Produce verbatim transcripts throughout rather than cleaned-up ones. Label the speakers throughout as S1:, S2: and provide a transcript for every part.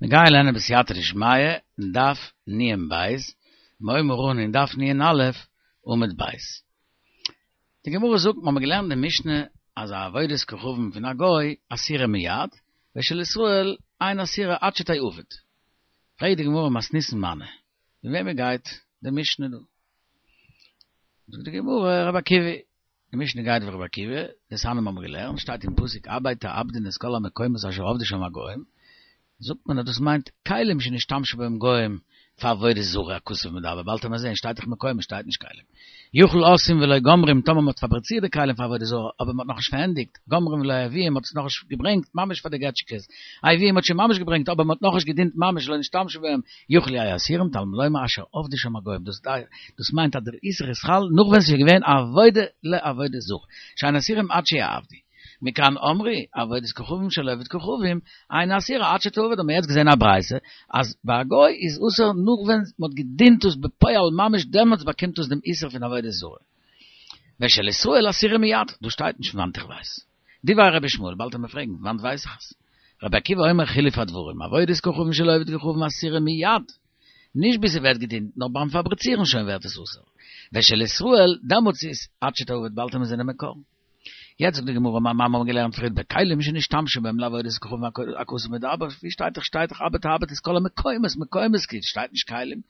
S1: מיר גייען לערנען בסייעתא דשמיא אין דף נ בית, מיר הייבן אן אין דף נ א עמוד בית. די גמרא זאגט, מיר האבן געלערנט די משנה אז א עבודת כוכבים פון א גוי אסירה מיד, ושל ישראל אין אסירה עד שתעבד. פרעגט די גמרא מתניתין מני, ווי וועמען גייט די משנה דא? זאגט די גמרא רבי עקיבא, די משנה גייט ווי רבי עקיבא, דתניא מיר האבן געלערנט, שטייט אין פסוק אבד תאבדון את כל המקומות אשר עבדו שם הגוים, זאגט מען אז דאס מיינט כלים שנשתמשו בהם גוים פאר עבודה זרה הכתוב מדבר, באלד וועט מען זעהן שטייט דאך מקומות שטייט נישט כלים. יכול עשוים ולא גומרים טאמער מען האט פאבריצירט די כלים פאר עבודה זרה אבער מען האט נאכנישט פארענדיגט, גומרים ולא הביאום מען האט עס נאכנישט געברענגט ממש פאר די געטשקעס, הביאום מען האט שוין ממש געברענגט אבער מען האט נאכנישט געדינט ממש לא נשתמשו בהם, יכול יהיו אסורים תלמוד לומר אשר עבדו שם הגוים דאס דאס מיינט אז דער איסור איז חל נאך ווען ס'איז געווען עבודה לעבודה זרה שאין אסורים עד שיעבדו. מכאן אמרו, עבודת כוכבים של עובד כוכבים, אינה אסירה עד שתעבד, האבן מיר יעצט געזען א ברייתא אז ביי א גוי איז אסור נאך ווען מ'האט געדינט עס בפועל ממש דעמאלטס באקומט עס דעם איסור פון עבודה זרה. ושל ישראל אסירה מיד, דא שטייט נישט פון וואנט איך ווייס. דברי רבי ישמעאל, באלד וועט מען פרעגן פון וואנט ווייס איך עס. רבי עקיבא אומר חילוף הדברים, עבודת כוכבים של עובד כוכבים אסירה מיד, נישט ביז ס'ווערט געדינט, נאר ביים פאבריצירן שוין ווערט עס אסור. ושל ישראל, דעמאלטס איז עד שתעבד, באלד וועט מען זען די מקור. יעצט זאגט די גמרא מיר האבן געלערנט פריער בכלים שנשתמשו בהם לעבודת כוכבים הכתוב מדבר, ווי שטייט דאך שטייט דאך אבד תאבד את כל המקומות, מקומות כאילו שטייט נישט כלים,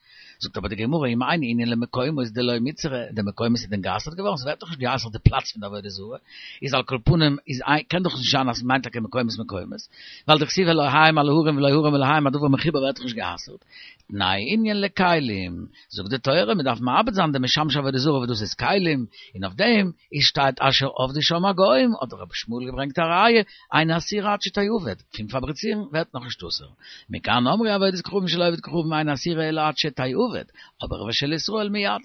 S1: זאגט אבער די גמרא אם אין ענין למקומות דלא מיתסרא, די מקומות איז דען גע'אסר'ט געווארן, ס'ווערט דאך נישט גע'אסר'ט די פלאץ פון די עבודה זרה, איז על כל פנים איז קען דאך נישט זיין אז ס'מיינט טאקע מקומות מקומות, ווייל דכתיב אלהיהם על ההרים ולא הרים אלהיהם א דבר מחובר ווערט דאך נישט גע'אסר'ט, תנאי ענין לכלים, זאגט די תורה מ'דארף מאבד זיין די משמשי עבודה זרה וואס דאס איז כלים, און אויף דעם איז שטייט אשר עבדו שם הגוים, האט רבי ישמעאל געברענגט א ראיה, אינה אסירה עד שתעבד, פון פאבריצירן ווערט נאכנישט אסור. מכאן אמרו עבודת כוכבים של עובד כוכבים אינה אסירה אלא עד שתעבד, אבער ושל ישראל מיד.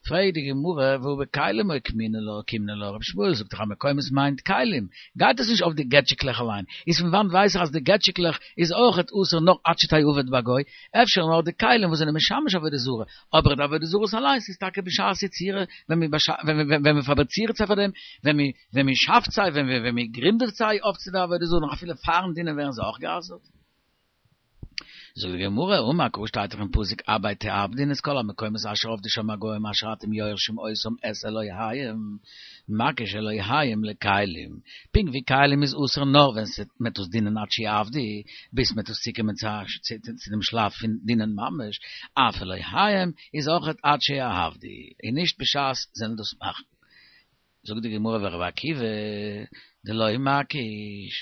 S1: פרעגט די גמרא והא בכלים אוקימנא לה אוקימנא לה, רבי ישמעאל זאגט דאך אז מקומות מיינט כלים, גייט עס נישט אויף די געטשיקלעך אליין, איז פון וואנט ווייס איך אז די געטשיקלעך איז אויכעט אסור נאר עד שתעבד ביי גוי, אפשר נאר די כלים וואס זענען משמש עבודה זרה, אבער די עבודה זרות אליינס איז טאקע בשעת יצירה ווען מען פאבריצירט זיי פאר דעם, ווען מען שאפט זיי, ווען מען גרינדעט זיי אויף צו די עבודה זרה, נאך אפילו פארן דינען ווערן זיי אויך גע'אסר'ט. זאגט די גמרא, אמר קרא שטייט דאך אין פסוק אבד תאבדון את כל המקומות אשר עבדו שם הגוים אשר אתם יורשים אותם את אלהיהם, מקיש אלהיהם לכלים, פונקט ווי כלים איז אסור נאר ווען מ'טוט עס דינען עד שיעבדו, ביז מ'טוט עס צוקומען צו דעם שלב פון דינען ממש, אף אלהיהם איז אויכעט עד שיעבדו, און נישט בשעת זיי דאס מאכן. זאגט די גמרא ורבי עקיבא דלא מקיש,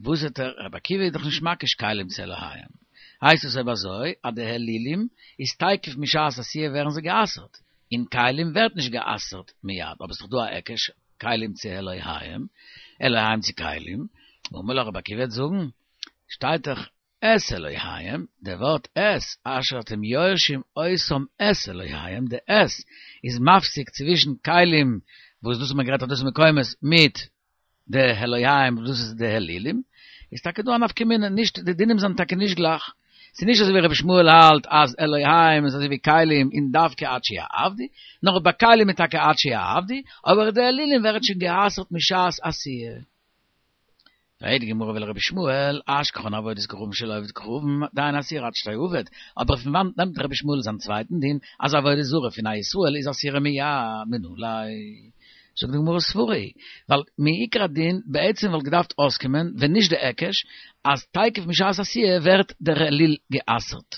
S1: וואס האט ער, רבי עקיבא איז דאך נישט מקיש כלים צו אלהיהם, הייסט עס אויב אזוי אז די אלילים איז תיכף משעת עשיה ווערן זיי גע'אסר'ט, און כלים ווערט נישט גע'אסר'ט מיד, אבער ס'איז דאך דא א היקש כלים צו אלהיהם, אלהיהם צו כלים, אמר לך רבי עקיבא וועט זאגן, שטייט דאך את אלהיהם, דער ווארט את, אשר אתם יורשים אותם את אלהיהם, די את איז מפסיק צווישן כלים, וואס דאס האט מען גערעדט אז דאס איז מקומות, מיט די אלהיהם וואס דאס איז די אלילים, איז טאקע דא א נפקא מינה, נישט, די דינים זענען טאקע נישט גלייך, ס'איז נישט אזוי ווי רבי ישמעאל האלט אז אלהיהם איז אזוי ווי כלים און דווקא עד שיעבדו, נאר ביי כלים איז טאקע עד שיעבדו, אבער די אלילים ווערט שוין גע'אסר'ט משעת עשיה. פרעגט די גמרא ולרבי ישמעאל, אשכחן עבודת כוכבים של עובד כוכבים, דאין אסירה עד שתעבד, אבער פון וואנט נעמט רבי ישמעאל זיין צווייטן דין אז עבודה זרה פון א ישראל איז אסירה מיד מנא ליה? זאגט די גמרא סברא היא, ווייל מעיקר הדין בעצם וואלט געדארפט אויסקומען ווען נישט די היקש אז תיכף משעת עשיה ווערט דער אליל גע'אסר'ט,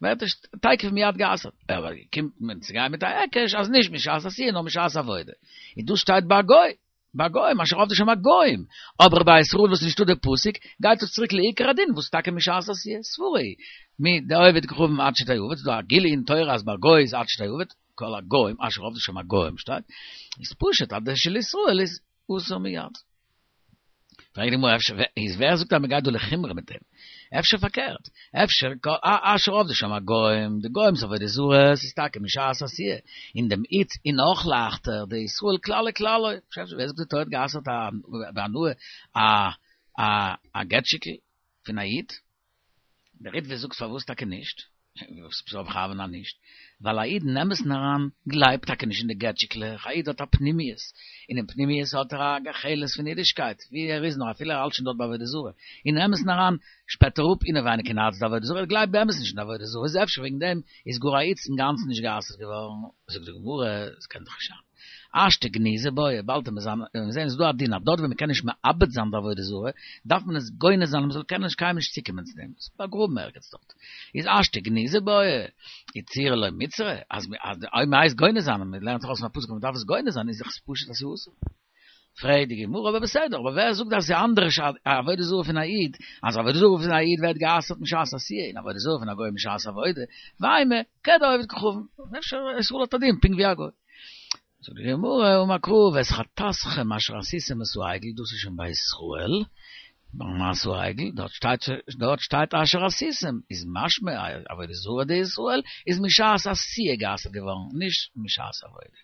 S1: ווערט עס תיכף מיד גע'אסר'ט, אבער קומט מען צו גיין מיט א היקש אז נישט משעת עשיה נאר משעת עבודה, און דאס שטייט ביי א גוי. ביי גוים, אשר עבדו שם הגוים, אבער ביי ישראל וואס נישטא די פסוק, גייט עס צוריק לעיקר הדין וואס טאקע משעת עשיה, סברא היא, מדעובד כוכבים עד שתעבד, ס'דא א גילוי אין תורה אז ביי גוי איז עד שתעבד, כל הגוים, אשר עבדו שם הגוים שטייט, איז פשוט אז די של ישראל איז אסור מיד. פרעגט די גמרא אפשר איז ווער זאגט אז מ'גייט דא לחומרא מיט דעם? אפשר פארקערט, אפשר אשר עבדו שם הגוים, די גוים'ס עבודה זרה, ס'איז טאקע משעת עשיה, אין דעם איץ איז נאך לייכטער, די ישראל כללי כללו, ווער זאגט די תורה האט גע'אסר'ט בהנאה א א א געטשיקל פון א איד? דער ריטב"א זאגט פארוואס טאקע נישט? וואס בכוונה נישט? ווייל א איד אין אמת'ן אריין גלייבט טאקע נישט אין די געטשיקלעך, א איד האט א פנימיות, אינעם פנימיות האט ער א גחלת פון אידישקייט, ווי ער איז נאר אפילו ער האלט שוין דארט ביי עבודה זרה, אין אמת'ן אריין שפעט ער אפ אינעווייניג אין הארץ די עבודה זרה, ער גלייבט באמת נישט אין די עבודה זרה, איז אפשר וועגן דעם איז גאר א איד אינגאנצן נישט גע'אסר'ט געווארן, זאגט די גמרא, עס קען דאך נישט זיין. השתא גניזה בעי, באלד וועט מען זען איז דא א דין אז דארט ווי מען קען נישט מאבד זיין די עבודה זרה, דארף מען עס גונז זיין אז מען זאל קענען נישט קיינמאל נישט צוקומען צו דעם, עס באגראבן ערגעץ דארט. איז השתא גניזה בעי, איצורי לא מיצרא, אז אויב מען הייסט גונז זיין און מען לערנט זיך אויס פון א פסוק אז מען דארף עס גונז זיין איז דאך עס פשוט אז ס'איז אסור. פרעגט די גמרא, אבער בסדר, אבער ווער זאגט אז ס'איז אנדערש א עבודה זרה פון א איד, אז עבודה זרה פון א איד ווערט גע'אסר'ט משעת עשיה, און עבודה זרה פון א גוי משעת עבודה, ואימא, כדעובד כוכבים, אפשר ישראל האט א דין פונקט ווי א גוי. זאגט די גמרא, אמר קרא ואת חטאתכם אשר עשיתם את העגל, דאס איז שוין ביי ישראל, ביי מעשה העגל, דארט שטייט דארט שטייט אשר עשיתם, איז משמע אז עבודה זרה דישראל איז משעת עשיה גע'אסר'ט געווארן, נישט משעת עבודה.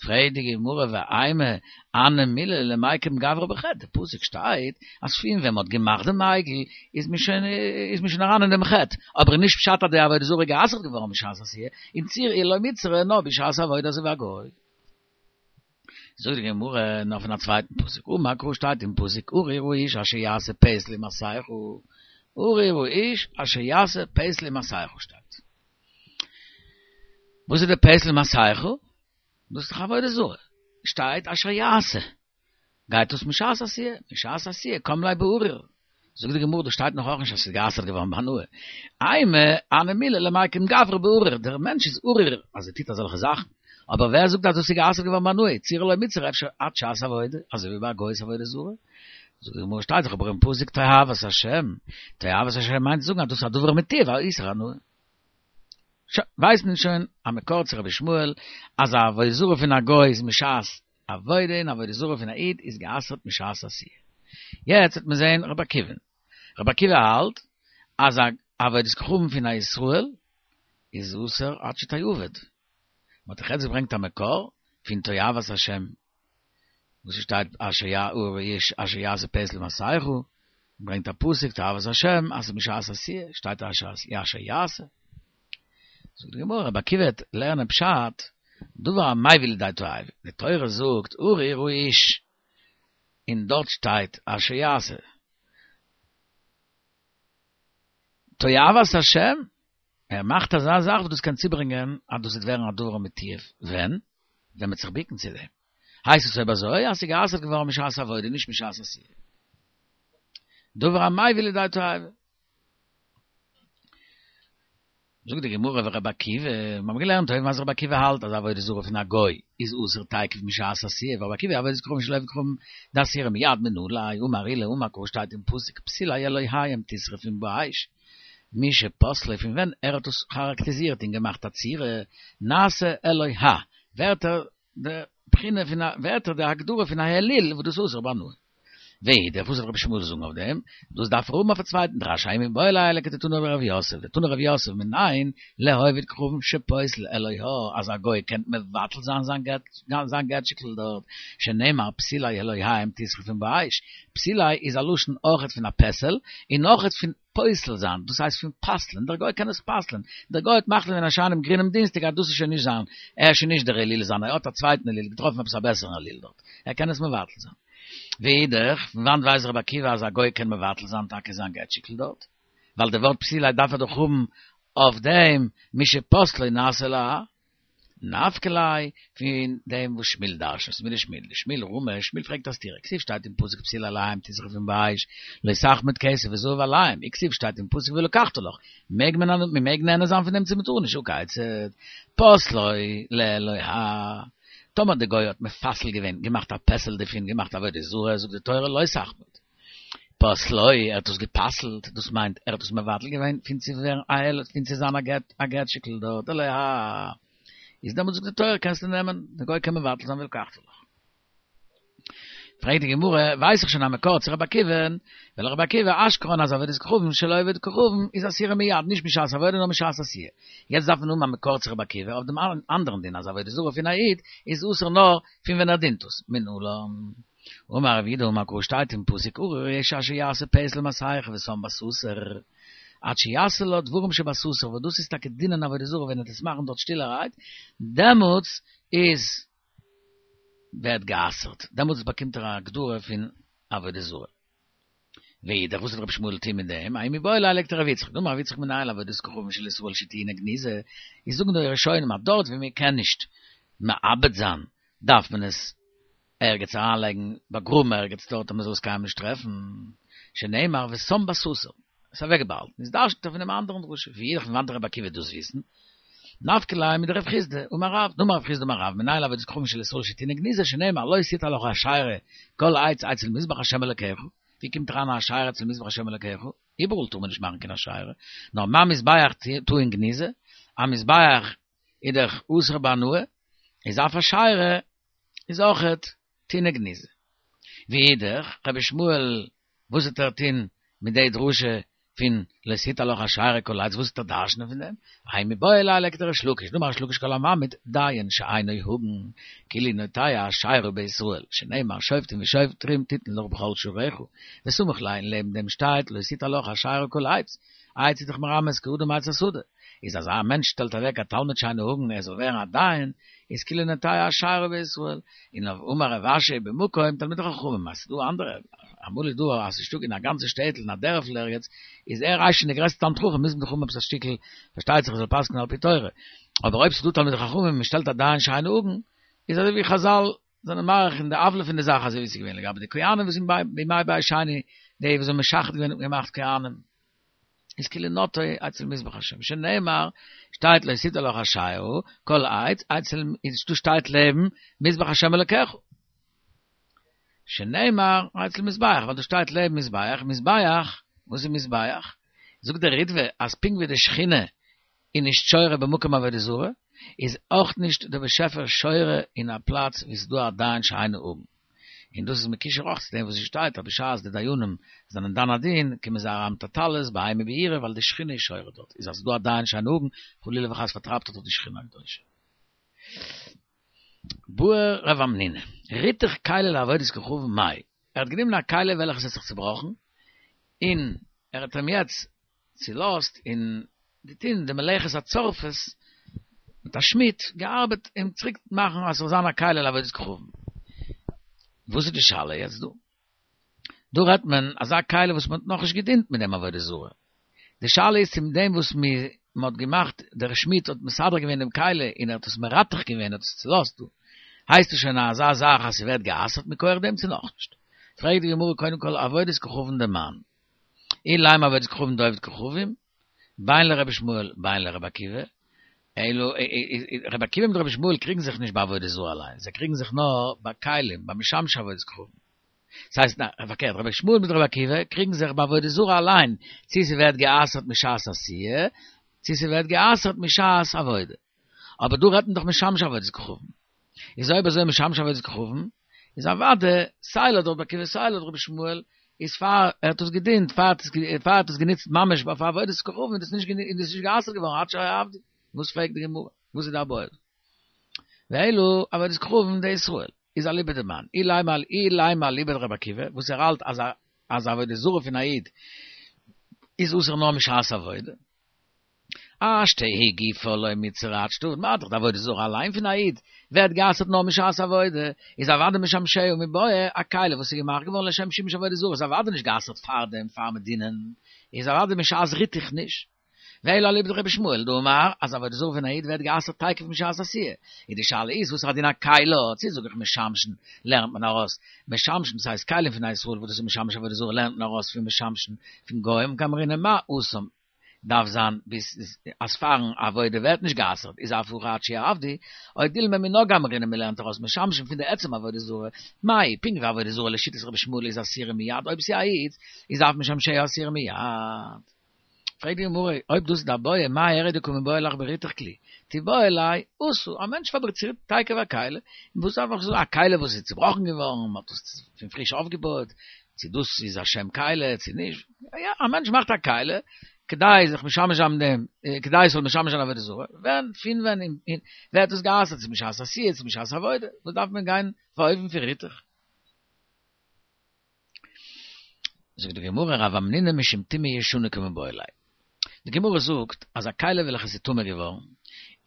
S1: פרעגט די גמרא ואימא הני מילי למיקם גברא בחטא, די פסוק שטייט אז פון ווען מ'האט געמאכט דעם עגל איז מען שוין איז מען שוין אריין אין דעם חטא, אבער איז נישט פשט אז די עבודה זרה איז גע'אסר'ט געווארן בשעת עשיה, איצורי לא מיצרא נאר בשעת עבודה אזוי ווי א גוי. זאגט די גמרא נאך פון א צווייטן פסוק, אמר קרא שטייט אין פסוק ארור האיש אשר יעשה פסל ומסכה, ארור האיש אשר יעשה פסל ומסכה שטייט. וואס איז די פסל ומסכה? דאס איז דאך עבודה זרה. שטייט אשר יעשה. גייט דאס משעת עשיה, משעת עשיה קם ליה בארור. זאגט די גמרא דא שטייט נאך אויך נישט אז ס'איז גע'אסר'ט געווארן בהנאה. אימא הני מילי למיקם גברא בארור, דער מענטש איז ארור אז ער טוט אזעלכע זאכן. אבער ווער זאגט אז דאס איז גע'אסר'ט געווארן בהנאה? איצורי לא מיצרא אפשר עד שעת עבודה, אזוי ווי ביי א גוי'ס עבודה זרה. זאגט די גמרא שטייט דאך אבער אין פסוק תועבת השם, תועבת השם מיינט צו זאגן אז דאס איז א דבר מתועב, א איסור הנאה. שוין, ווייסט מען שוין א מקור צו רבי ישמעאל אז א עבודה זרה פון א גוי איז משעת עבודה און עבודה זרה פון א איד איז גע'אסר'ט משעת עשיה. יעצט וועט מען זעהן רבי עקיבא'ן. רבי עקיבא האלט אז א עבודת כוכבים פון א ישראל איז אסור עד שתעבד. מען האט דאך יעצט געברענגט א מקור פון תועבת השם וואס עס שטייט אשר ארור האיש אשר יעשה פסל ומסכה, ברענגט א פסוק תועבת השם אז משעת עשיה שטייט אשר יעשה. זאגט די גמרא רבי עקיבא וועט לערנען פשט דבר המביא לידי תועבה, די תורה זאגט ארור האיש און דארט שטייט אשר יעשה. תועבת השם, ער מאכט אזא זאך וואס דאס קען צוברענגען אז דאס וועט ווערן א דבר מתועב, ווען? ווען מ'וועט זיך בוקן צו דעם. הייסט עס אויב אזוי אז ס'איז גע'אסר'ט געווארן משעת עבודה נישט משעת עשיה. דבר המביא לידי תועבה. זאגט די גמרא ורבי עקיבא, מיר האבן געלערנט אויבן אז רבי עקיבא האלט אז עבודה זרה פון א גוי איז אסור תיכף משעת עשיה, ורבי עקיבא עבודת כוכבים של עובד כוכבים דאסירא מיד מנא ליה, אמר עולא אמר קרא שטייט אין פסוק פסילי אלהיהם תשרפון באש, משפסלו פון ווען ער האט עס כאראקטעזירט און געמאכט א צורה, נעשה אלוה, ווערט ער די בחינה פון א, ווערט ער די הגדרה פון א אליל וואס דאס איז אסור בהנאה. ואידך, וואס וועט רבי ישמעאל זאגן אויף דעם? דאס דארף ער האבן אויף א צווייטן דרש, ההוא מיבעי ליה לכדתנא רב יוסף, דתני רב יוסף מנין לעובד כוכבים שפוסל אלוה, אז א גוי קען מבטל זיין זיין געט זיין געטשיקל דארט, שנאמר פסילי אלהיהם תשרפון באש, פסילי איז א לשון אויכעט פון א פסל, און אויכעט פון פוסל זיין, דאס הייסט פון פסל'ען, דער גוי קען עס פסל'ען, דער גוי האט מחליט געווען א שיינעם גרינעם דינסטאג אז דאס איז שוין נישט זיין, ער איז שוין נישט דער אליל זיינער, ער האט א צווייטן אליל, געטראפן עפעס א בעסערן אליל דארט, ער קען עס מבטל זיין. ואידך, פון וואנט ווייסט רבי עקיבא אז א גוי קען מבטל זיין טאקע זיין געטשיקל דארט? ווייל די ווארט פסילי דארף ער דאך האבן אויף דעם משפסלו נעשה אלוה. נפקא ליה פון דעם וואס שמואל דרש'נט מדשמואל דשמואל רמי שמואל פרעגט א סתירה כתיב שטייט אין פסוק פסילי אלהיהם תשרפון באש לא תחמוד כסף וזהב עליהם וכתיב שטייט אין פסוק ולקחת לך מעג מען מען מעג נהנה זיין פון דעם צו מען טאר נישט הא כיצד פסלו לאלוה טאמער די גוי האט מפסל געווען געמאכט א פסל דערפון געמאכט עבודה זרה זאגט די תורה לא תחמוד פסלו ער האט עס גע'פסל'ט דאס מיינט ער האט עס מבטל געווען פון צו ווערן א אל פון צו זיין א געטשיקל דארט אלוה איז דעמאלטס זאגט די תורה קענסטו נעמען, די גוי קען מבטל זיין ולקחת לך. פרעגט די גמרא, ווייס איך שוין א מקור צו רבי עקיבא'ן, ולרבי עקיבא אשכחן אז עבודת כוכבים של עובד כוכבים איז אסירה מיד, נישט משעת עבודה נאר משעת עשייה. יעצט דארף מען האבן א מקור צו רבי עקיבא אויף דעם אנדערן דין אז עבודה זרה פון א איד איז אסור נאר פון ווען ער דינט עס, מנלן. אמר רב יהודה אמר קרא שטייט אין פסוק ארור האיש אשר יעשה פסל ומסכה ושם בסתר. עד שיעשה לה דברים שבסתר, וואס דאס איז טאקע דינען עבודה זרה ווען ער וועט עס מאכן דארט שטילערהייט, דעמאלטס איז ווערט גע'אסר'ט, דעמאלטס באקומט ער א הגדרה פון עבודה זרה. ואידך, וואס וועט רבי שמואל טוהן מיט דעם? ההוא מיבעי ליה לכדרב יצחק, דאמר רב יצחק מנין לעבודת כוכבים של ישראל שטעונה גניזה, איז זאגן די ראשונים אז דארט ווי מען קען נישט מאבד זיין דארף מען עס ערגעץ אריינלייגן, באגראבן ערגעץ דארט אז מען זאל עס קיינמאל נישט טרעפן, שנאמר ושם בסתר, עס אוועקבאהאלטן, איז דרש'נט ער פון דעם אנדערן דרשה, ואידך פון וואנעט וועט רבי עקיבא דאס וויסן? נפקא ליה מדרב חסדא, אמר רב, דאמר רב חסדא אמר רב, מנין לעבודת כוכבים של ישראל שטעונה גניזה, שנאמר לא תטע לך אשרה כל עץ אצל מזבח השם אלקיך, ווי קומט אריין א אשרה אצל מזבח השם אלקיך? איבעראל טאר מען נישט מאכן קיין אשרה, נאר מה מזבח טעון גניזה, א מזבח איז דאך אסור בהנאה, איז אף אשרה איז אויכעט טעונה גניזה. ואידך, רבי שמואל וואס וועט ער טוהן מיט די דרשה פון לא תטע לך אשרה כל עץ, וואס וועט ער דרש'נען פון דעם? ההוא מיבעי ליה לכדריש לקיש, דאמר ריש לקיש כל המעמיד דיין שאינו הגון, כאילו נוטע אשרה בישראל, שנאמר שופטים ושוטרים תתן לך בכל שעריך, וסמיך ליה און לעבן דעם שטייט לא תטע לך אשרה כל עץ, עץ איז דאך מרמז כאדם עץ השדה, איז אז א מענטש שטעלט אוועק א תלמיד שאינו הגון ער זאל ווערן א דיין, איז כאילו נוטע אשרה בישראל, און אמר רב אשי במקום תלמידי חכמים, אז ס'דא אנדערע, אמאל איז דא אז ס'איז נישטא אין א גאנצע שטעטל אין א דערפל ערגעץ, איז ער הייסט שוין די גרעסטע תלמיד חכם, מוז מען דאך האבן עפעס א שטיקל, פארשטייט זיך ער זאל פסק'נען על פי תורה, אבער אויב ס'איז דא תלמידי חכמים און מ'שטעלט א דיין שאינו הגון, איז אזוי ווי חזל זענען מאריך אין די עוולה פון די זאך אזוי ווי ס'איז געווען לגבי די כהנים וואס זענען בימי בית שני, די וואס האבן משחד געווען און געמאכט כהנים. איז כאילו נוטע אצל מזבח השם, שנאמר, שטייט לא תטע לך אשרה, כל עץ, אצל, איז דא שטייט לעבן מזבח השם אלקיך. שנאמר, אצל מזבח, ווייל דא שטייט לעבן מזבח, מזבח, וואס איז מזבח? זאגט דער ריטבא אז פונקט ווי די שכינה איז נישט שורה במקום עבודה זרה, איז אויך נישט דער באשעפער שורה אין א פלאץ וואו ס'איז דא א דיין שאינו הגון. און דאס איז מקושר אויך צו דעם וואס עס שטייט אז בשעת די דיינים זענען דן א דין קומען זיי אריין מיט א טלית באימה וביראה ווייל די שכינה איז שורה דארט, איז אז ס'איז דא א דיין שאינו הגון חלילה וחס פארטרייבט ער דאך די שכינה הקדושה. בעי רב המנונא, ריתך כלי לעבודת כוכבים מאי, ער האט גענומען א כלי וועלכעס האט זיך צובראכן, און ער האט אים יעצט צולאזט און געטון די מלאכת הצורפות מיט א שמיד, געארבעט אים צוריק מאכן אז ס'זאל זיין א כלי לעבודת כוכבים. וואס איז די שאלה יעצט דא? דא רעדט מען אזא כלי וואס מ'האט נאכנישט געדינט מיט דעם עבודה זרה. די שאלה איז צו מיט דעם וואס מ'האט געמאכט, דער שמיד האט מסדר געווען דעם כלי און ער האט עס מרתך געווען, האט עס צולאזט דא, הייסט עס שוין אזא זאך אז ס'ווערט גע'אסר'ט מכח דעם צו נאכנישט? פרעגט די גמרא קודם כל עבודת כוכבים דמאן? אילימא עבודת כוכבים דעובד כוכבים, בין לרבי ישמעאל בין לרבי עקיבא, אלא רבי עקיבא מיט רבי ישמעאל קריגן זיך נישט ביי עבודה זרה אליין, זיי קריגן זיך נאר ביי כלים, ביי משמשי עבודת כוכבים. ס'הייסט, ניין, פארקערט, רבי ישמעאל מיט רבי עקיבא קריגן זיך ביי עבודה זרה אליין, צי ס'ווערט גע'אסר'ט משעת עשייה, צי ס'ווערט גע'אסר'ט משעת עבודה. אבער דא רעדט מען דאך משמשי עבודת כוכבים. איז אויב אזוי משמשי עבודת כוכבים, איז אוודאי סיי לויט רבי עקיבא סיי לויט רבי ישמעאל, איז פאר ער האט עס געדינט, פאר ער האט עס גענוצט ממש אויף עבודת כוכבים, איז דאס נישט גע'אסר'ט געווארן עד שיעבדו. וואס פרעגט די גמרא? וואס איז די בעיא? ואלא עבודת כוכבים דישראל איז אליבא דמאן, אילימא אילימא אליבא דרבי עקיבא, וואס ער האלט אז אז עבודה זרה פון א איד איז אסור נאר משעת עבודה. השתא היא גופה לא מיתסרא עד שתעביד, מה דאך די עבודה זרה אליין פון א איד ווערט גע'אסר'ט נאר משעת עבודה, איז אוודאי משמשיה מיבעיא א כלי וואס איז געמאכט געווארן לשם שימוש עבודה זרה איז אוודאי נישט גע'אסר'ט פארדעם פאר מ'עט דינען, איז אוודאי משעת ריתוך נישט. ואלא אליבא דרבי ישמעאל דאמר אז עבודה זרה פון א איד ווערט גע'אסר'ט תיכף משעת עשיה, איז די שאלה איז וואס איז א דין א כלי, צו זאג איך משמשין לערנט מען ארויס משמשין דאס הייסט כלים פון א ישראל וואס דאס איז משמש עבודה זרה לערנט מען ארויס פון משמשין פון גוים קאמרינן מה התם דארף זיין ביז אז פארן עבודה ווערט נישט גע'אסר'ט איז אף הכא עד שיעבדו, או דילמא מינה גמרינן מ'לערנט ארויס משמשין פון די עצם עבודה זרה, מאי פונקט ווי עבודה זרה לשיטת רבי ישמעאל איז אסורה מיד אויב ס'איז א איד איז אף משמשיה אסורה מיד. פרעגט די גמרא, אויב דאס איז די בעיא, מאי איריא דקא מיבעיא לך בריתוך כלי? תיבעי ליה עשה, א מענטש פאבריצירט תיכף א כלי, און וואס דארף איך זאגן, א כלי וואס איז צובראכן געווארן, מען האט עס פון פריש אויפגעבויעט, צו דאס איז א שם כלי צו נישט, יא, א מענטש מאכט א כלי, כדי זיך משמש זיין מיט דעם, כדי עס זאל משמש זיין עבודה זרה, ווען, פון ווען ווערט עס גע'אסר'ט, צו משעת עשייה, צו משעת עבודה, וואס דארף מען גיין אויף אן אופן פון ריתוך? זאגט די גמרא רב המנונא משום טומאה ישנה קמיבעיא ליה, די גמרא זאגט אז א כלי וועלכע איז טמא געווארן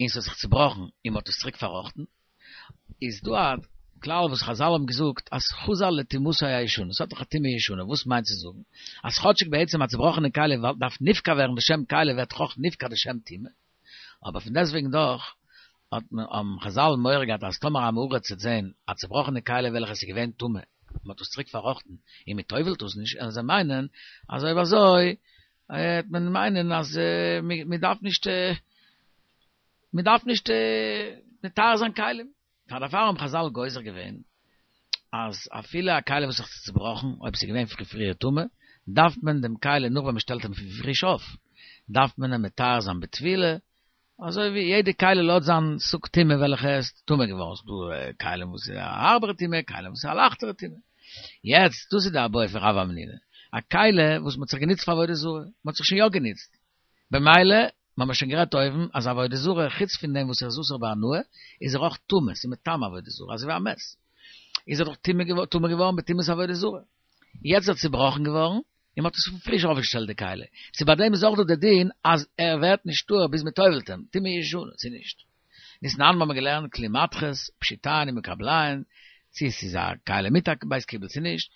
S1: און ס'האט זיך צובראכן און מ'האט עס צוריק פארראכטן, איז דא א כלל וואס חזל האבן געזאגט אז חזר לטומאתו הישנה, ס'האט דאך א טומאה ישנה, וואס מיינט צו זאגן אז כאטשיג בעצם א צובראכענע כלי דארף נפקע ווערן די שם כלי ווערט אויך נפקע די שם טומאה, אבער פון דעסטוועגן דאך האט מען האבן חזל מורא געהאט אז טאמער עם הארץ וועט זען א צובראכענע כלי וועלכע איז געווען טמא, מ'האט עס צוריק פארראכטן און מ'טובל'ט עס נישט, וועלן זיי מיינען אז אויב אזוי וועט מען מיינען אז מ'דארף נישט מ'דארף נישט מטהר זיין כלים. פאר דערפאר האבן חזל גוזר געווען אז אפילו א כלי וואס האט זיך צובראכן, אויב ס'איז געווען פרי פריער טמא, דארף מען דעם כלי נאך ווען מ'שטעלט אים פריש אויף, דארף מען אים מטהר זיין בטבילה, אזוי ווי יעדע כלי לויט זיין סוג טומאה וועלכע עס איז טמא געווארן, ס'איז דא כלים וואס איז א הארבערע טומאה, כלים וואס איז א לייכטערע טומאה. יעצט, דאס איז די איבעיא פון רב המנונא, א כלי וואס מ'האט זיך גענוצט פאר עבודה זרה, מ'האט זיך שוין יא גענוצט, במילא, מ'האמיר שוין גערעדט אויבן אז עבודה זרה חוץ פון דעם וואס ער איז אסור בהנאה, איז ער אויך טמא, ס'איז מטמא עבודה זרה, אזוי ווי א מת, איז ער דאך טמא געווארן בטומאת עבודה זרה, יעצט איז ער צובראכן געווארן, און מ'האט עס פריש אויפגעשטעלט די כלי, צו ביי דעם איז אויך דא די דין אז ער ווערט נישט טהור ביז מ'טובל'ט אים, טומאה ישנה, צו נישט. דתנן האבן מיר געלערנט כלי מתכות, פשיטיין ומקבליין, צו עס איז א כלי מיט א בית קיבול צו נישט,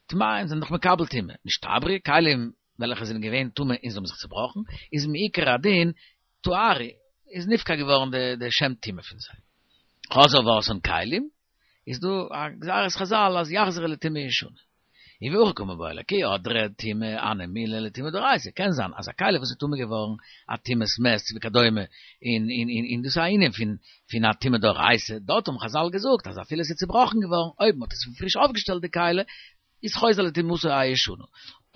S1: טמאין זענען דאך מקבל טומאה, נשתברו, כלים וועלכע זענען געווען טמא און זיי האבן זיך צובראכן, איז מעיקר הדין טהרו, איז נפקע געווארן די שם טומאה פון זיי. חזר ועשאן כלים, איז דא א גזירת חזל אז יחזרו לטומאה ישנה. און והכי קא מיבעיא ליה כי הדרא טומאה הני מילי לטומאה דאורייתא, קען זיין אז א כלי וואס איז טמא געווארן א טומאת מת וכדומה, און און און און דאס איז א ענין פון פון א טומאה דאורייתא, דארט האבן חזל געזאגט אז אפילו עס איז צובראכן געווארן אויב מען האט עס פון פריש אויפגעשטעלט די כלי, איז חוזר לטומאתו הישנה.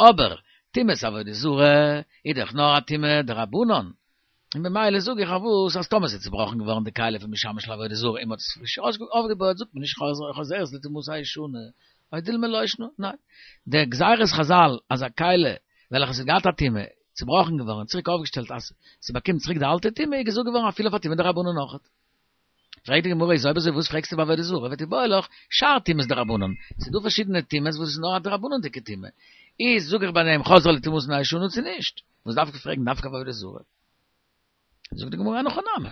S1: אבער טומאת עבודה זרה איז דאך נאר א טומאה דרבנן, און במילא זאג איך אויף וואס אז טאמער ס'איז צובראכן געווארן די כלי פון משמש לעבודה זרה און מ'האט עס פריש אויפגעבויעט זאגט מען נישט חוזרת לטומאתה הישנה, או דילמא לא שנא, ניין. די גזירת חזל אז א כלי וועלכע ס'האט געהאט א טומאה, צובראכן געווארן און צוריק אויפגעשטעלט אז ס'באקומט צוריק די אלטע טומאה איז געזאגט געווארן אפילו אויף א טומאה דרבנן אויכעט. פרעגט די גמרא איז אויב אזוי וואס פרעגסטו ביי עבודה זרה ותיבעי לך שאר טומאות דרבנן, ס'איז דא פארשידענע טומאות וואס איז נאר א דרבנן'דיגע טומאה, איז זאג איך ביי דעם חזרה לטומאתן הישנה צו נישט? וואס דארף איך פרעגן דווקא ביי עבודה זרה? זאגט די גמרא אין הכי נמי,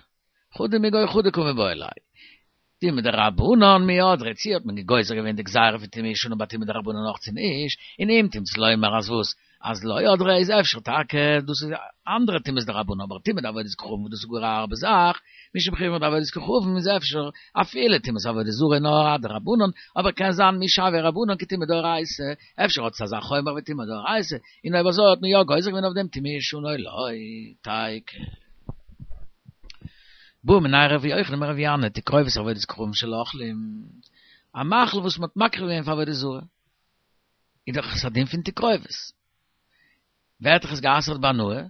S1: חדא מגו חדא קא מיבעיא ליה, טומאה דרבנן מי הדרא, צו האט מען גוזר געווען די גזירה פון טומאה ישנה ביי טומאה דרבנן אויך צו נישט, און אם תמצא לומר אז וואס? אז לא הדרא איז אפשר טאקע דאס איז אנדערע טומאות דרבנן אבער טומאה דעבודת כוכבים וואס דאס איז גאר א הארבע זאך, משום חומרא דעבודת כוכבים איז אפשר אפילו טומאת עבודה זרה נאר א דרבנן, אבער קען זיין מי שויא רבנן כטומאה דאורייתא, אפשר האט עס אזא חומרא ווי טומאה דאורייתא, און אויב אזוי האט מען יא גוזר געווען אויף דעם טומאה ישנה או לא, תיקו. בעא מיניה ר' יוחנן מר' ינאי תקרובת עבודת כוכבים של אוכלים, א מאכל וואס מען האט מקריב געווען פאר עבודה זרה. איז דאך עס א דין פון תקרובת. ווערט דאך עס גע'אסר'ט בהנאה,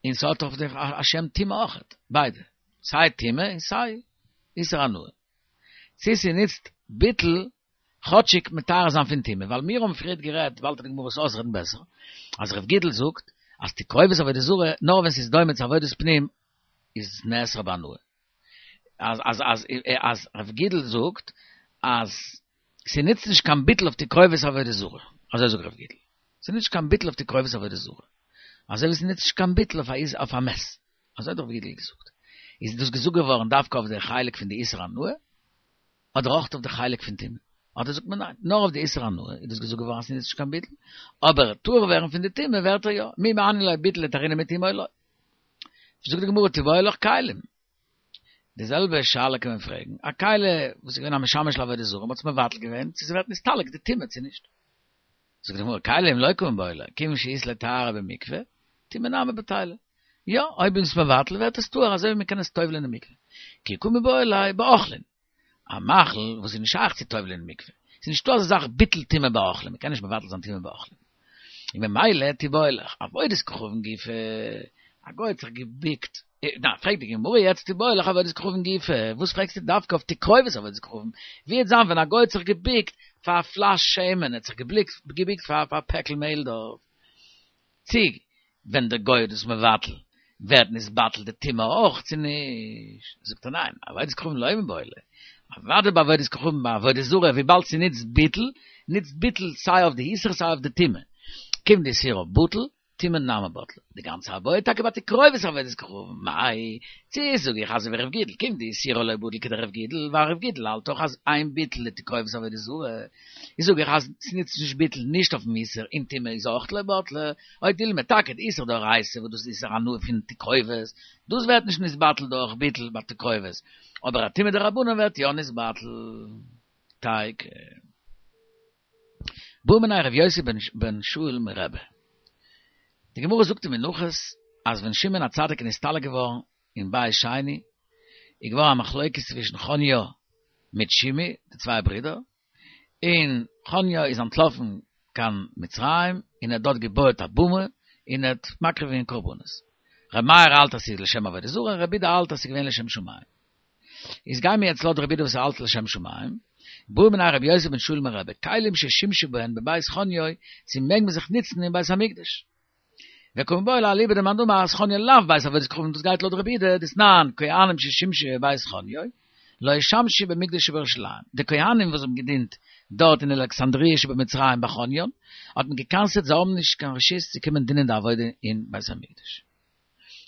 S1: און ס'האט אויף זיך א שם טומאה אויכעט, ביידע, סיי טומאה און סיי איסור הנאה. צו ס'נוצט ביטול כאטשיג מטהר זיין פון טומאה, ווייל מיר האבן פריערט גערעדט, באלד וועט די גמרא עס אויסרעדן בעסער, אז ר' גידל זאגט אז תקרובת עבודה זרה נאר ווען ס'איז דומה צו עבודת פנים איז נאסר בהנאה. אז אז אז אז ר' גידל זאגט אז ס'נוצט נישט קיין ביטול אויף תקרובת עבודה זרה, אזוי זאגט ר' גידל, ס'נוצט נישט קיין ביטול אויף תקרובת עבודה זרה, אזוי ווי ס'נוצט נישט קיין ביטול אויף א מת, אזוי האט ר' גידל געזאגט. איז דאס געזאגט געווארן דווקא אויף די חלק פון די איסור הנאה, אדער אויך אויף די חלק פון טומאה? אדער זאגט מען ניין, נאר אויף די איסור הנאה איז דאס געזאגט געווארן אז ס'נוצט נישט קיין ביטול, אבער טהור ווערן פון די טומאה ווערט ער יא, מי מהני ליה ביטול לטהרינהו מטומאה או לא. זאגט די גמרא תיבעי לך כלים. די זעלבע שאלה קען מען פרעגן, א כלי וואס איז געווען א משמש לעבודה זרה, מ'האט עס מבטל געווען, צו ס'ווערט נסתלק די טומאה צו נישט. זאגט די גמרא, כלים לא קא מיבעיא ליה, כיוון שאית ליה טהרה במקווה, טומאה נמי בטילה. יא, אויב איז עס מבטל ווערט עס טהור אזוי ווי מ'קען עס טובל'ען אין מקווה. כי קא מיבעיא ליה באוכלין. א מאכל וואס איז נישט שייך צו טובל'ען אין מקווה. ס'איז נישטא אזא זאך ביטול טומאה באוכלים, מ'קען נישט מבטל זיין טומאה באוכלים. און ממילא תיבעי לך, עבודת כוכבים גופא, א גוי האט זיך געביקט, ניין, פרעגט די גמרא יעצט תיבעי לך עבודת כוכבים גופא, וואס פרעגסטו דווקא אויף תקרובת עבודת כוכבים, ווי וועט זיין ווען א גוי האט זיך געביקט פאר א פלאש שמן, ער האט זיך געביקט פאר א פעקל מעהל דארט, צו ווען דער גוי איז דאס מבטל, ווערט נתבטל די טומאה אויך צו נישט? זאגט ער ניין, עבודת כוכבים לא מיבעיא ליה, אוודאי ביי עבודת כוכבים ביי עבודה זרה וויבאלד ס'נוצט ביטול, נוצט ביטול סיי אויף די איסור סיי אויף די טומאה, כיון דאיסורה בטל, טומאה נמי בטלה. די גאנצע איבעיא טאקע ביי תקרובת עבודת כוכבים, מאי, צי זאג איך אזוי ווי רב גידל, כיון דאיסורה לא בטיל כדרב גידל, ווייל רב גידל האלט דאך אז אין ביטול לתקרובת עבודה זרה, איז זאג איך אז ס'נוצט נישט ביטול נישט אויפן איסור און טומאה איז אויך לא בטלה, או דילמא טאקע די איסור דאורייתא וואס דאס איז איסור הנאה פון תקרובת, דאס ווערט נישט נתבטל דורך ביטול ביי תקרובת, אבער א טומאה דרבנן ווערט יא נתבטל. תיקו. בעא מיניה ר' יוסי בן שאול מרבי. די גמרא זאגט אין מנחות אז ווען שמעון הצדיק איז נסתלק געווארן אין בית שני איז געווארן א מחלוקת צווישן חניה מיט שמעי די צוויי ברידער, און חניה איז אנטלאפן קיין מצרים און ער האט דארט געבויעט א במה און ער האט מקריב געווען קרבנות. ר' מאיר האלט אז ס'איז לשם עבודה זרה און רבי יודא האלט אז ס'איז געווען לשם שמים. איז גיימיר יעצט לויט רבי יודא וואס ער האלט לשם שמים, בעא מיניה רבי יוסי בן שאול מרבי, כלים ששימשו בהן בבית חוניו, צו מעג מען זיך נוצן אין בית המקדש? וקא מיבעיא ליה אליבא דמאן דאמר אז חניה לאו בית עבודת כוכבים דאס גייט לויט רבי יודא דתנן כהנים ששימשו בבית חוניו לא ישמשו במקדש שבירושלים די כהנים וואס האבן געדינט דארט אין אלכסנדריה שבמצרים ביי חוניון האט מען געקנס'עט זיי האבן נישט קיין רשות צו קומען דינען די עבודה אין בית המקדש.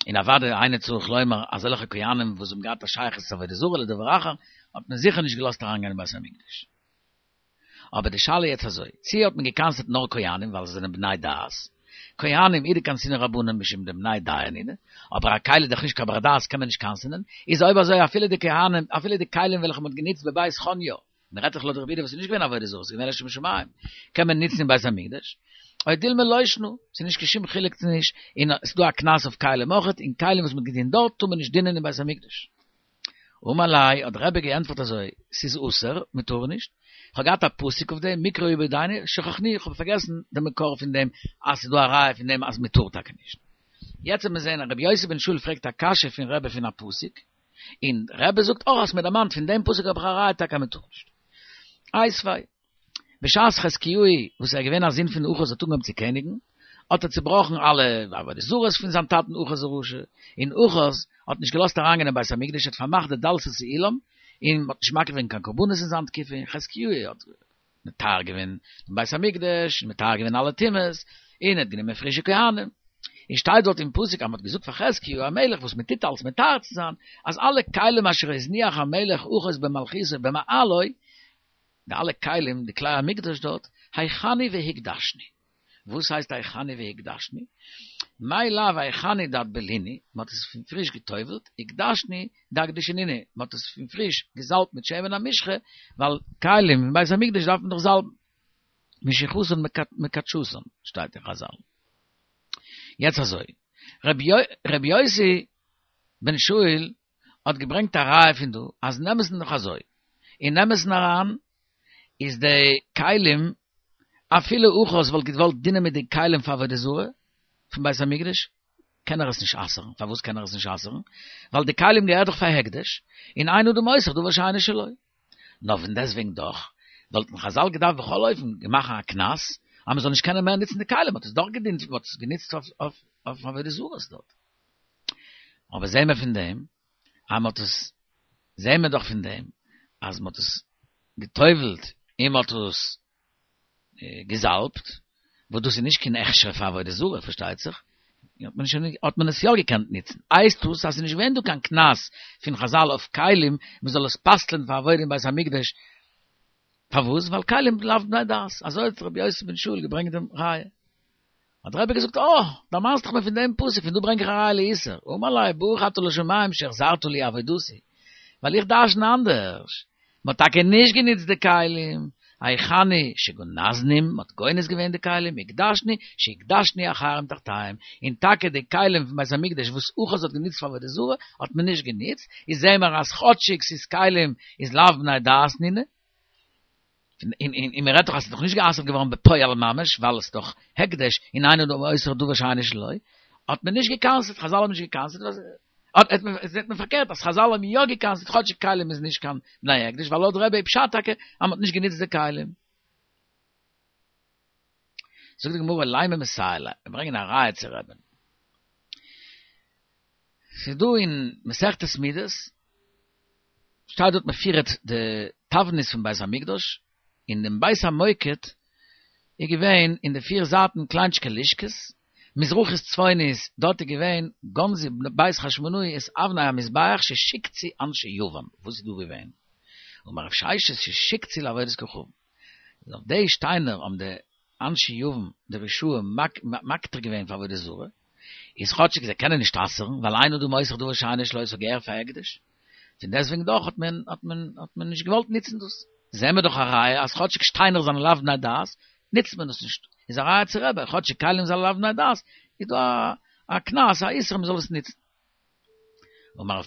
S1: און אוודאי אינו צריך לומר אזעלכע כהנים וואס האבן געהאט א שייכות צו עבודה זרה לדבר אחר האט מען זיכער נישט געלאזט אריינגיין אין בית המקדש. אבער די שאלה יעצט אזוי, צי האט מען געקנס'עט נאר כהנים ווייל זיי זענען בני דעת, כהנים הוא דקנסינהו רבנן משום דבני דיעה נינהו, אבער א כלי איז דאך נישט קיין בר דעת קען מען נישט קנס'ענען, איז אויב אזוי אפילו די כהנים אפילו די כלים וועלכע מען האט גענוצט בבית חוניו, מען רעדט דאך לויט רבי יודא וואס איז נישט געווען עבודה זרה, ס'איז געווען לשם שמים, קען מען נוצן אין בית המקדש, או דילמא לא שנא, ס'איז נישט קיין שום חילוק צו נישט, און ס'איז דא א קנס אויף כלים אויכעט, און כלים וואס מען האט געדינט דארט טאר מען נישט דינען אין בית המקדש. אמר ליה, האט רבי געענטפערט אזוי, ס'איז אסור, מען טאר נישט, כ'האב געהאט א פסוק אויף דעם, מקרא הוא בידינו, שכחנוהו, איך האב פארגעסן דעם מקור פון דעם, אז ס'איז דא א ראיה פון דעם אז מען טאר טאקע נישט. יעצט וועט מען זען אז רבי יוסי בן שאול פרעגט א קשיא פון רבי פון א פסוק, און רבי זאגט אויך האסט מיר דערמאנט פון דעם פסוק האב איך א ראיה טאקע אז מען טאר נישט. איתיביה, בשעת חזקיהו וואס איז געווען א זון פון אחז האט אנגעהויבן צו קעניגן, האט ער צובראכן אלע עבודה זרות פון זיין טאטן אחז הרשע, און אחז האט נישט געלאזט אריינגיין אין בית המקדש, האט פארמאכט די דלתות האולם, און מען האט נישט מקריב געווען קיין קרבנות אין זיין תקופה, און חזקיהו האט מטהר געווען דעם בית המקדש, און מטהר געווען אלע טומאות, און ער האט גענומען פרישע כהנים. און שטייט דארט אין פסוק אז מען האט געזאגט פאר חזקיהו המלך וואס מען טוט אלס מטהר צו זיין, אז אלע כלים אשר הזניח המלך אחז במלכותו במעלו, די אלע כלים, די כלי המקדש דארט, הכינו והקדשנו. וואס הייסט הכינו והקדשנו? מאי לאו הכינו דאטבלינהו, מען האט עס פון פריש גע'טובל'ט, הקדשנו דאקדשינהו, מען האט עס פון פריש געזאלבט מיט שמן המשחה, ווייל כלים אין בית המקדש דארף מען דאך זאלבן. משיחתן מקדשתן, שטייט אין חזל. יעצט אזוי, ר' יוסי בן שאול האט געברענגט א ראיה פון דא, אז אין אמת'ן דאך אזוי, אין אמת'ן אריין איז די כלים, אפילו אחז וואלט געוואלט דינען מיט די כלים פאר עבודה זרה פון בית המקדש, קען ער עס נישט אסר'ן, פארוואס קען ער עס נישט אסר'ן? ווייל די כלים געהערט דאך פאר הקדש, און אין אדם אוסר דבר שאינו שלו. נאר פון דעסטוועגן דאך, וואלטן חזל געדארפט בכל אופן מאכן א קנס, אז מען זאל נישט קענען מער נוצן די כלים, מען האט עס דאך געדינט, מען האט עס גענוצט אויף עבודה זרות דארט. אבער זעהן מיר פון דעם, אז מען האט עס, זעהן מיר דאך פון דעם, אז מען האט עס גע'טובל'ט און מען האט עס געזאלבט, וואס דאס איז נישט קיין הכשר פאר עבודה זרה פארשטייט זיך, האט מען שוין האט מען עס יא געקענט נוצן, הייסט דאס אז ס'איז נישט געווען דא קיין קנס פון חזל אויף כלים מען זאל עס פסל'ען פאר עבודה אין בית המקדש, פארוואס? ווייל כלים לאו בני דעת, אזוי האט רבי יוסי בן שאול געברענגט דעם ראיה. האט דער רבי געזאגט, אה, דערמאנסט דיך מיר פון דעם פסוק, פון דא ברענג איך א ראיה לאיסור, אמר ליה ברוך אתה לשמים שהחזרת לי אבידתי, ווייל איך דרשן אנדערש, מען האט טאקע נישט גענוצט די כלים, הכינו שגנזנום, מען האט גונז געווען די כלים, הקדשנו שהקדשנו אחרים תחתיהם, און טאקע די כלים פון בית המקדש וואס אחז האט גענוצט פאר עבודה זרה האט מען נישט גענוצט, איז זעהן מיר אז כאטשיג ס'איז כלים איז לאו בני דעת נינהו, און און מען רעדט דאך אז ס'איז דאך נישט גע'אסר'ט געווארן בפועל ממש ווייל עס איז דאך הקדש און אין אדם אוסר דבר שאינו שלו, האט מען נישט גע'קנס'ט, חזל האבן נישט גע'קנס'ט, האט מען זעט מען פארקערט אז חזל האבן יא גע'קנס'ט כאטשיג כלים איז נישט קיין בני הקדש ווייל לויט רבי איז פשט טאקע אז מ'האט נישט גענוצט די כלים. זאגט די גמרא לימא מסייע ליה, מיר ברענגען א ראיה צו רבי'ן. ס'איז דא אין מסכת מידות, שטייט דארט מפורט די תבנית פון בית המקדש, אין דעם בית המוקד איז געווען אין די פיר זייטן קליינטשיקע לשכות, מזרחית צפונית, דארט איז געווען גנזו בית חשמונאי את אבני המזבח ששיקצו אנשי יוון, וואס איז דא געווען? אמר רב ששת ששיקצו לעבודת כוכבים. אויף די שטיינער האבן די אנשי יוון, די רשעים, מקטיר געווען פאר עבודה זרה, איז כאטשיג זיי קענען נישט אסר'ן, ווייל אין אדם אוסר דבר שאינו שלו ס'האט געהערט פאר הקדש, פון דעסטוועגן דאך האט מען האט מען האט מען נישט געוואלט ניצן דאס. זעהן מיר דאך א ראיה אז כאטשיג שטיינער זענען לאו בני דעת, ניצט מען דאס נישט. איז א ראיה צו רבי, כאטשיג כלים זענען לאו בני דעת, איז דא א קנס, א איסור מען זאל עס ניצן. אמר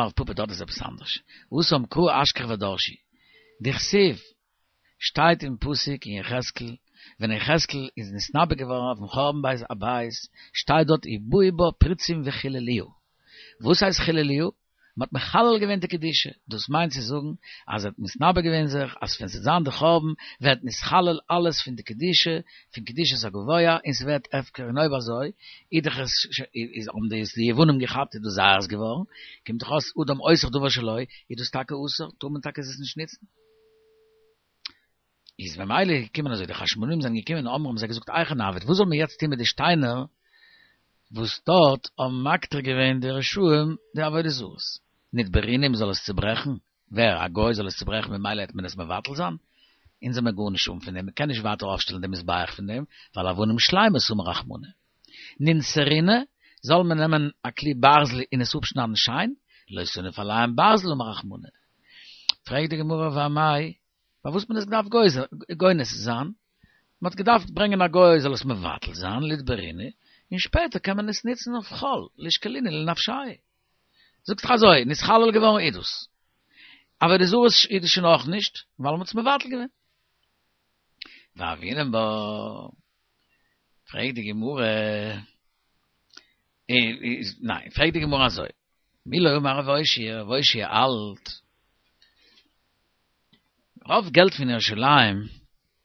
S1: רב פפא דארט איז עפעס אנדערש. התם קראי אשכח ודרשי. דכתיב שטייט אין פסוק אין יחזקאל, ווען יחזקאל איז נתנבא געווארן אויפן חורבן בית הבית, שטייט דארט ובאו בה פריצים וחללוה. וואס הייסט חללוה? מען האט מחלל געווען די קדושה, דאס מיינט צו זאגן אז ער האט מתנבא געווען זיך אז ווען ס'וועט זיין די חורבן ווערט נתחלל אלעס פון די קדושה, פון קדושת הגבוה, און ס'ווערט הפקר, און אויב אזוי איז דאך עס איז האבן דאס די יוונים געכאפט איז דאס זייערס געווארן, קומט דאך אויס אדם אוסר דבר שלו, איז דאס טאקע אסור, טאר מען טאקע עס נישט נוצן. איז ממילא געקומען אזוי, די חשמונאים זענען געקומען אמרו האבן זיי געזאגט היכי נעביד, וואס זאל מען יעצט טון מיט די שטיינער וואס דארט האבן מקטיר געווען די רשעים די עבודה זרות, נתברינהו מ'זאל עס צוברעכן, ווער? א גוי זאל עס צוברעכן ממילא העט מען עס מבטל זיין? אונז האמיר גארנישט אן פון דעם, מען קען נישט ווייטער אויפשטעלן די מזבח פון דעם, ווייל אבנים שלימות אמר רחמנא. ננסרינהו, זאל מען נעמען א כלי ברזל און עס אפשניידן שיין, לא תניף עליהם ברזל אמר רחמנא. פרעגט די גמרא ואמאי, פארוואס האט מען עס געדארפט גונז זיין? מען האט געדארפט ברענגען א גוי זאל עס מבטל זיין, ליתברינהו, און שפעטער קען מען עס נוצן אויף חול, לישקלינהו לנפשייהו. זאגסט דאך אזוי, נתחלל געווארן איז דאס. עבודה זרה איז דאס שוין אויך נישט, ווייל מען האט עס מבטל געווען. והוינן בה, פרעגט די גמרא, ניין, פרעגט די גמרא אזוי, מי לא אמר רב אושעיא, רב אושעיא האלט, רוב געלט פון ירושלים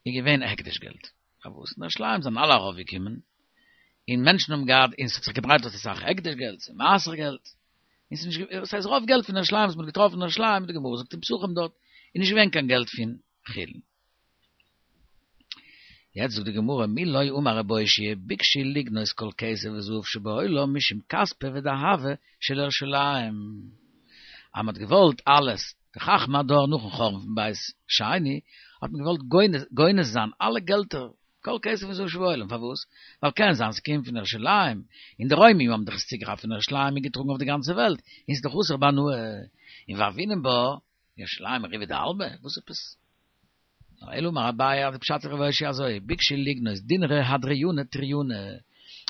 S1: איז געווען הקדש געלט. פארוואס? אין ירושלים זענען אלע ארויפגעקומען, און מענטשן האבן געהאט, און ס'האט זיך געדרייט דארט אסאך הקדש געלט, און מעשר געלט. און ס'איז נישט, עס הייסט רוב געלט פון ירושלים וואס מ'האט געטראפן אין ירושלים, די גמרא זאגט אין פסחים דארט, איז נישט געווען קיין געלט פון חולין. יעצט זאגט די גמרא, מי לא אמר רב אושעיא ביקשו לגנוז כל כסף וזהב שבעולם משום כספא ודהבא של ירושלים. אז מ'האט געוואלט אלעס, די חכמי הדור נאכן חורבן פון בית שני, האט מען געוואלט גונז זיין אלע געלטער, כל כסף וזהב שבעולם, פארוואס? ווייל קען זיין ס'קומט פון ירושלים, און די רוימים האבן דאך עס צוגעכאפט פון ירושלים און געטראגן אויף די גאנצע וועלט, און ס'איז דאך אסור בהנאה. און והוינן בה, ירושלים ריבעא דעלמא? וואס עפעס? נאר אלא אמר אביי אז די פשט איז רב אושעיא אזוי, ביקשו לגנוז דינרי הדריאנא טריינא,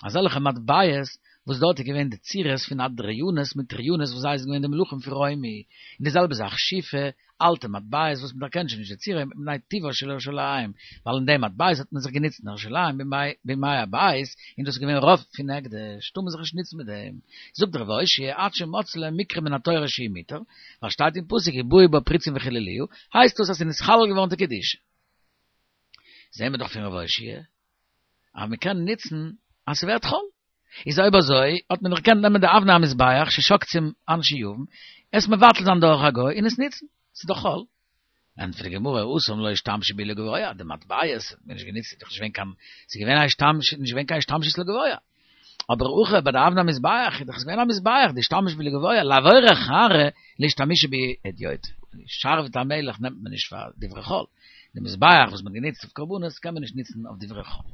S1: אזעלכע מטבעות וואס דארט איז געווען די צורות פון הדריאנוס מיט טריינוס וואס זיי זענען געווען די מלכים פון רומי, און די זעלבע זאך שיפי, אלטע מטבעות וואס מען דערקענט שוין נישט די צורה מפני טיבה של ירושלים, ווייל אין די מטבעות האט מען זיך גענוצט אין ירושלים בימי הבית, און דאס איז געווען רוב פון הקדש, טאר מען זיך נישט נוצן מיט דעם. זאגט רב אושעיא עד שמצאו להם מקרא מן התורה שהוא מותר, ווייל שטייט אין פסוק ובאו בה פריצים וחללוה, הייסט דאס אז ס'איז נתחלל געווארן די קדושה. זעהן מיר דאך פון רב אושעיא אז מ'קען נוצן אז ס'ווערט חול. איז אויב אזוי האט מען דאך געקענט נעמען די אבני המזבח ששקצום אנשי יוון, עס מבטל זיין דורך א גוי און עס נוצן, ס'איז דאך חול. ענטפערט די גמרא, התם לא אשתמשו בהו לגבוה, די מטבעות האט מען נישט גענוצט, ס'איז דאך נישט געווען קיין, ס'איז געווען א השתמש, נישט געווען קיין השתמשות לגבוה. אבער הכא ביי די אבני המזבח איז דאך עס געווען א מזבח, דאשתמש בהו לגבוה, לעבור חרא לאשתמושי בהו הדיוטא. שרביט המלך נעמט מען נישט פאר דברי חול. די מזבח וואס מען האט גענוצט אויף קרבנות קען מען נישט נוצן אויף דברי חול.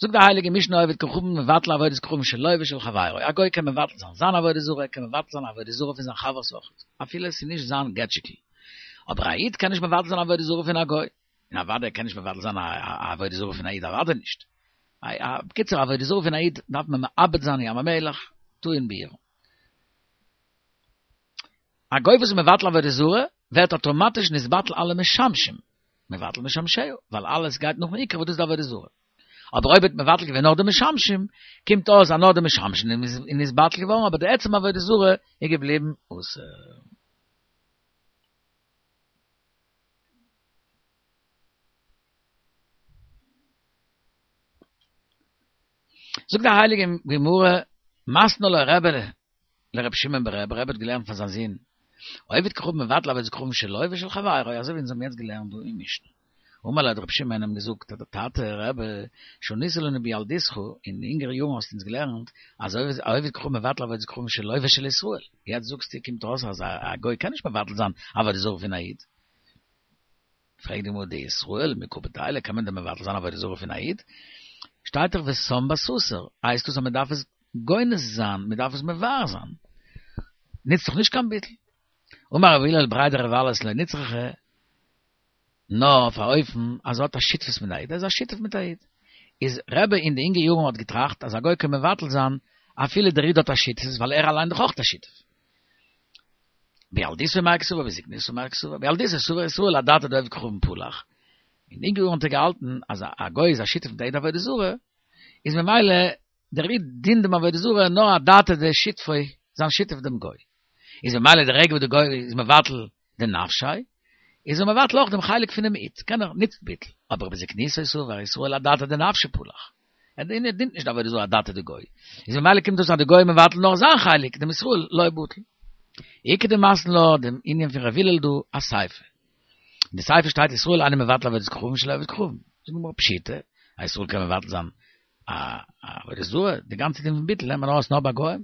S1: זאגט די הייליגע משנה עובד כוכבים מבטל עבודת כוכבים שלו ושל חברו, א גוי קען מבטל זיין זיין עבודה זרה, ער קען מבטל זיין עבודה זרה פון זיין חבר'ס אויך, אפילו עס איז נישט זיין געטשיקל, אבער א איד קען נישט מבטל זיין עבודה זרה פון א גוי, און אוודאי ער קען נישט מבטל זיין א עבודה זרה פון א איד אוודאי נישט, בקיצור עבודה זרה פון א איד דארף מען מאבד זיין ים המלח, טעון ביעור. א גוי וואס איז מבטל עבודה זרה, ווערט אטאמאטיש נתבטל אלע משמשים, מבטל משמשיה, ווייל אלעס גייט נאכן עיקר וואס דאס איז די עבודה זרה. אבער אויב האט מבטל געווען נאר די משמשים, קומט אויס אז נאר די משמשים איז נתבטל געווארן, אבער די עצם עבודה זרה איז געבליבן אסור. זאגט די הייליגע גמרא, מתני לה רבי לר' שמעון ברבי, רבי האט געלערנט פאר זיין זון, עובד כוכבים מבטל עבודת כוכבים שלו ושל חברו, אזוי ווי אונז האבן יעצט געלערנט דא אין משנה. אמר ליה, האט רב שמעון אים געזאגט, דער טאטע, רבי, שנית לנו בילדותך, אין אינגערע יארן האסטו אונז געלערנט, אז העובד כוכבים מבטל עבודת כוכבים שלו ושל ישראל. יעצט זאגסטו, קומט אויס אז א גוי קען נישט מבטל זיין עבודה זרה פון א איד. פרעגט די גמרא, דישראל מי קא בטילי, קען מען דען מבטל זיין עבודה זרה פון א איד? שטייט דאך ושם בסתר, הייסט דאס אז מען דארף עס גונז זיין, מען דארף עס מבער זיין. ניצט דאך נישט קיין ביטול. אמר רב הלל בריה דרב אלס לא נצרכא, נאר אויף א אופן אז ער האט א שותפות מיט א איד, ער איז א שותף מיט א איד. איז רבי אין די אינגע יארן האט געטראכט אז א גוי קען מבטל זיין אפילו דער איד האט א שותפות ווייל ער אליין דאך אויך א שותף. בילדותו מאי קסבר בזקנותו מאי קסבר בילדותו סבר ישראל אדעתא דעובד כוכבים פלח. אין די אינגע יארן האט ער געהאלטן אז א גוי איז א שותף מיט א איד עבודה זרה, איז ממילא דער איד דינט דעם עבודה זרה נאר אדעתא דשותפו, זיין שותף דעם גוי. איז ממילא די רגע וואס די גוי איז מבטל די נפשי, איז ער מבטל אויך דעם חלק פונעם איד, קען ער ניצט ביטול, אבער בזקנותו סבר ישראל אדעתא דנפשיה פלח, ער דינט נישט די עבודה זרה אדעתא דגוי, איז ממילא קומט אויס אז די גוי מבטל נאר זיין חלק, דעם ישראל לא בטל. איכא דמתני לה דעם ענין פון ר' הלל דא אסיפא. אין די סיפא שטייט ישראל אינו מבטל עבודת כוכבים של עובד כוכבים. זאגט די גמרא פשיטא, א ישראל קען מבטל זיין א עבודה זרה, די גאנצע דין פון ביטול לערנט מען ארויס נאר ביי גוים.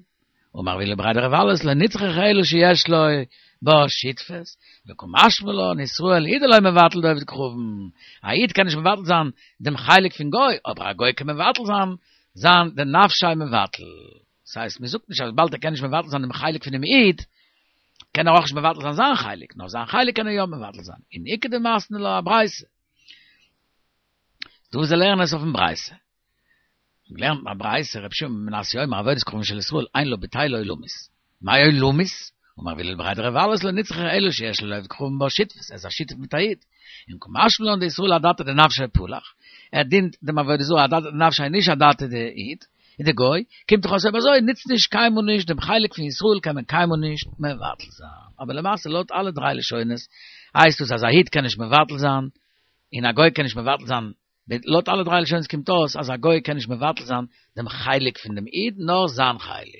S1: אמר רב הלל בריה דרב אלס לא נצרכא אלא שיש לו בה שותפות, וקא משמע לן ישראל הוא דלא מבטל דעובד כוכבים, א איד קען נישט מבטל זיין דעם חלק פון גוי, אבער א גוי קען מבטל זיין זיין דנפשיה מבטל. דאס הייסט מען זאגט נישט אז וויבאלד ער קען נישט מבטל זיין דעם חלק פונעם איד, קען ער אויך נישט מבטל זיין זיין חלק, נאר זיין חלק קען ער יא מבטל זיין. און איכא דמתני לה אברייתא. דא זיי לערנען עס אויפן ברייתא. געלערנט אין א ברייתא רבי שמעון בן מנסיא אומר עבודת כוכבים של ישראל אין לה בטילה עולמית. מאי עולמית? אמר רב הלל בריה דרב אלס לא נצרכא אלא שיש לו לעובד כוכבים בה שותפות, ער איז א שותף מיט א איד. און קא משמע לן דישראל אדעתא דנפשיה פלח, ער דינט דעם עבודה זרה אדעתא דנפשיה נישט אדעתא דאיד, און די גוי, קומט דאך אויס אויב אזוי נוצט נישט קיינמאל נישט דעם חלק פון ישראל קען מען קיינמאל נישט מבטל זיין. אבער למעשה לויט אלע דריי לשונות הייסט דאס אז א איד קען נישט מבטל זיין און א גוי קען נישט מבטל זיין, לויט אלע דריי לשונות קומט אויס אז א גוי קען נישט מבטל זיין דעם חלק פון דעם איד נאר זיין חלק.